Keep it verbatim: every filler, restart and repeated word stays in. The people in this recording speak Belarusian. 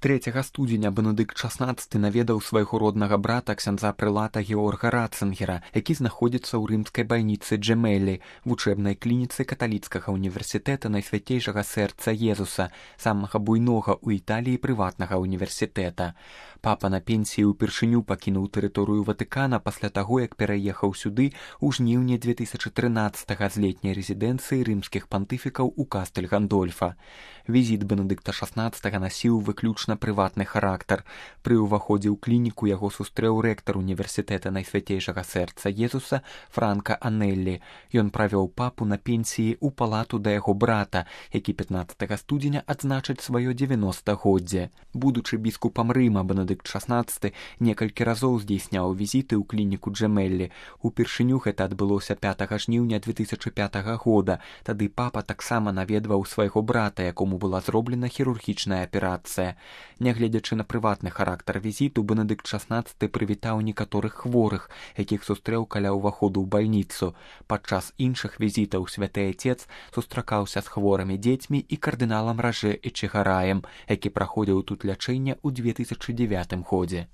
трэцяга студзеня Бенедыкт шаснаццаты наведаў свайго роднага брата ксяндза прэлата Георга Ратцынгера, які знаходзіцца ў рымскай бальніцы Джемелі, вучэбнай клініцы каталіцкага універсітэта Найсвяцейшага сэрца Езуса, самага буйнога ў Італіі прыватнага універсітэта. Папа на пенсіі ўпершыню пакінуў тэрыторыю Ватыкана пасля таго, як пераехаў сюды ў жніўні две тысячы трынаццатага з летняй рэзідэнцыі рымскіх пантыфікаў у Кастэль Гандольфа. Візіт Бенедыкта шаснаццатага насіў выключна прыватны характар. Пры ўваходзе ў клініку яго сустрэў рэктар універсітэта Найсвяцейшага сэрца Езуса Франка Анеллі. Ён правёў папу на пенсіі ў палату да яго брата, які пятнаццатага студзеня адзначыць сваё дзевяностагоддзе. Будучы біскупам Рыма, Бенедыкт шаснаццаты некалькі разоў здзейсняў візіты ў клініку Джемелі. Упершыню гэта адбылося пятага жніўня две тысячы пятага года. Тады папа таксама наведваў свайго брата, якому была зроблена хірургічная аперацыя. Нягледзячы на прыватны характар візіту, Бенедыкт шаснаццаты прывітаў некаторых хворых, якіх сустрэў каля ўваходу ў бальніцу. Падчас іншых візітаў святы айцец сустракаўся з хворымі дзецьмі і кардыналам Ражэ Эчегараем, які праходзіў тут лячэнне ў две тысячы дзевятым годзе.